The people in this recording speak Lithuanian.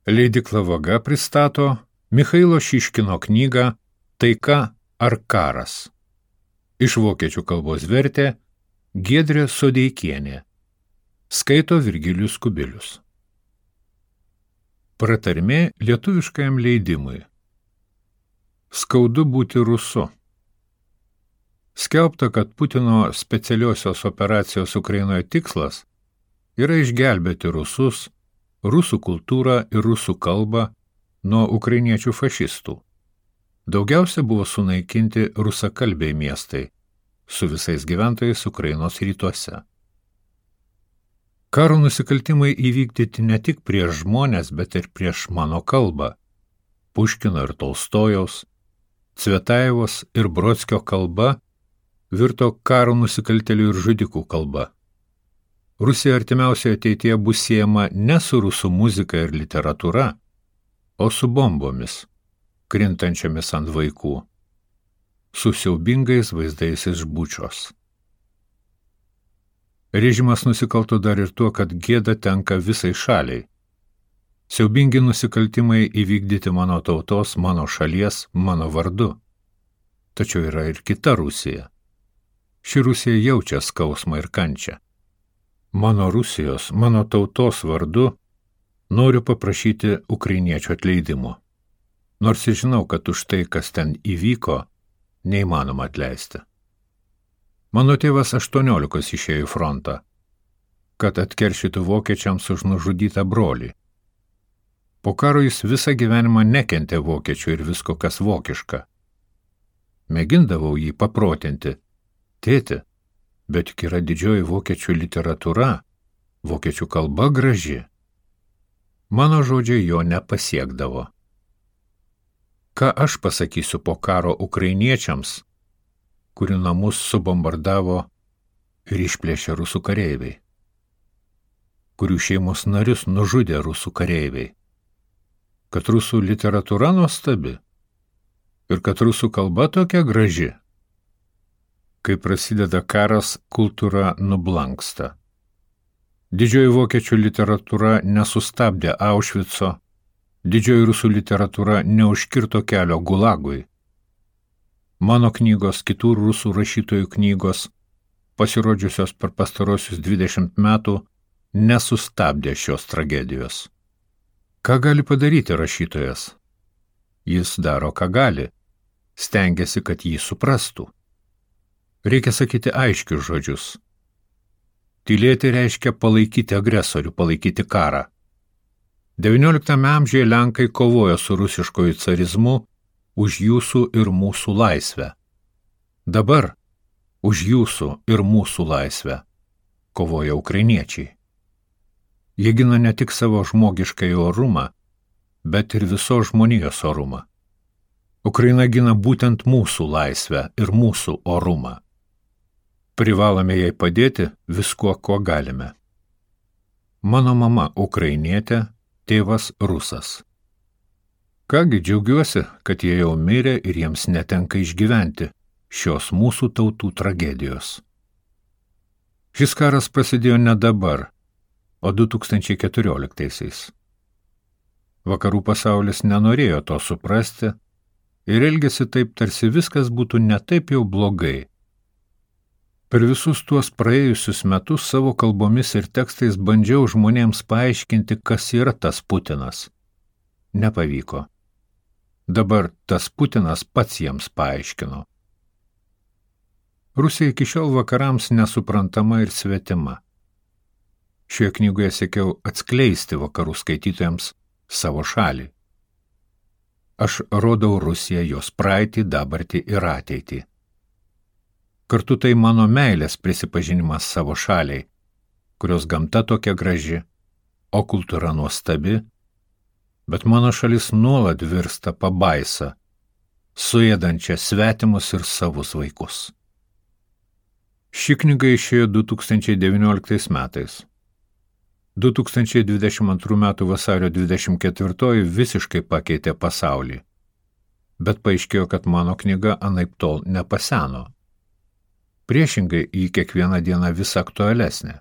Leidykla Vaga pristato Michailo Šiškino knygą Taika ar karas. Iš vokiečių kalbos vertė Giedrė Sodeikienė. Skaito Virgilijus Kubilius. Pratarmė lietuviškajam leidimui. Skaudu būti rusu. Skelbta, kad Putino specialiosios operacijos Ukrainoje tikslas yra išgelbėti rusus, rusų kultūrą ir rusų kalbą nuo ukrainiečių fašistų. Daugiausia buvo sunaikinti rusakalbiai miestai, su visais gyventojais Ukrainos rytuose. Karo nusikaltimai įvykdyti ne tik prieš žmonės, bet ir prieš mano kalbą. Puškino ir Tolstojaus, Cvetajevos ir Brodskio kalba virto karo nusikaltėlių ir žudikų kalba. Rusija artimiausioje ateityje bus siejama ne su rusų muzika ir literatūra, o su bombomis, krintančiamis ant vaikų, su siaubingais vaizdais iš Bučios. Režimas nusikalto dar ir tuo, kad gėda tenka visai šaliai. Siaubingi nusikaltimai įvykdyti mano tautos, mano šalies, mano vardu. Tačiau yra ir kita Rusija. Ši Rusija jaučia skausmą ir kančią. Mano Rusijos, mano tautos vardu noriu paprašyti ukrainiečių atleidimo. Nors ir žinau, kad už tai, kas ten įvyko, neįmanoma atleisti. Mano tėvas 18 išėjo į frontą, kad atkeršytų vokiečiams už nužudytą brolį. Po karo jis visą gyvenimą nekentė vokiečių ir visko, kas vokiška. Mėgindavau jį paprotinti. Tėti, bet juk yra didžioji vokiečių literatūra, vokiečių kalba graži. Mano žodžiai jo nepasiekdavo. Ką aš pasakysiu po karo ukrainiečiams, kurių namus subombardavo ir išplėšė rusų kareiviai, kurių šeimos narius nužudė rusų kareiviai, kad rusų literatūra nuostabi ir kad rusų kalba tokia graži. Kai prasideda karas, kultūra nublanksta. Didžioji vokiečių literatūra nesustabdė Aušvico, didžioji rusų literatūra neužkirto kelio Gulagui. Mano knygos, kitų rusų rašytojų knygos, pasirodžiusios per pastarosius 20 metų, nesustabdė šios tragedijos. Ką gali padaryti rašytojas? Jis daro, ką gali, stengiasi, kad jį suprastų. Reikia sakyti aiškius žodžius. Tylėti reiškia palaikyti agresorių, palaikyti karą. XIX amžiuje Lenkai kovojo su rusiškoju carizmu už jūsų ir mūsų laisvę. Dabar už jūsų ir mūsų laisvę kovoja ukrainiečiai. Jie gina ne tik savo žmogiškąjį orumą, bet ir visos žmonijos orumą. Ukraina gina būtent mūsų laisvę ir mūsų orumą. Privalome jai padėti viskuo, ko galime. Mano mama ukrainietė, tėvas rusas. Kągi džiaugiuosi, kad jie jau mirė ir jiems netenka išgyventi šios mūsų tautų tragedijos. Šis karas prasidėjo ne dabar, o 2014-aisiais. Vakarų pasaulis nenorėjo to suprasti ir elgėsi taip, tarsi viskas būtų ne taip jau blogai. Per visus tuos praėjusius metus savo kalbomis ir tekstais bandžiau žmonėms paaiškinti, kas yra tas Putinas. Nepavyko. Dabar tas Putinas pats jiems paaiškino. Rusija iki šiol vakarams nesuprantama ir svetima. Šioje knygoje siekiau atskleisti vakarų skaitytojams savo šalį. Aš rodau Rusiją, jos praeitį, dabartį ir ateitį. Kartu tai mano meilės prisipažinimas savo šaliai, kurios gamta tokia graži, o kultūra nuostabi, bet mano šalis nuolat virsta pabaisa, suėdančia svetimus ir savus vaikus. Ši knyga išėjo 2019 metais. 2022 m. vasario 24 visiškai pakeitė pasaulį, bet paaiškėjo, kad mano knyga anaiptol nepaseno. Priešingai, ji kiekvieną dieną vis aktualesnė.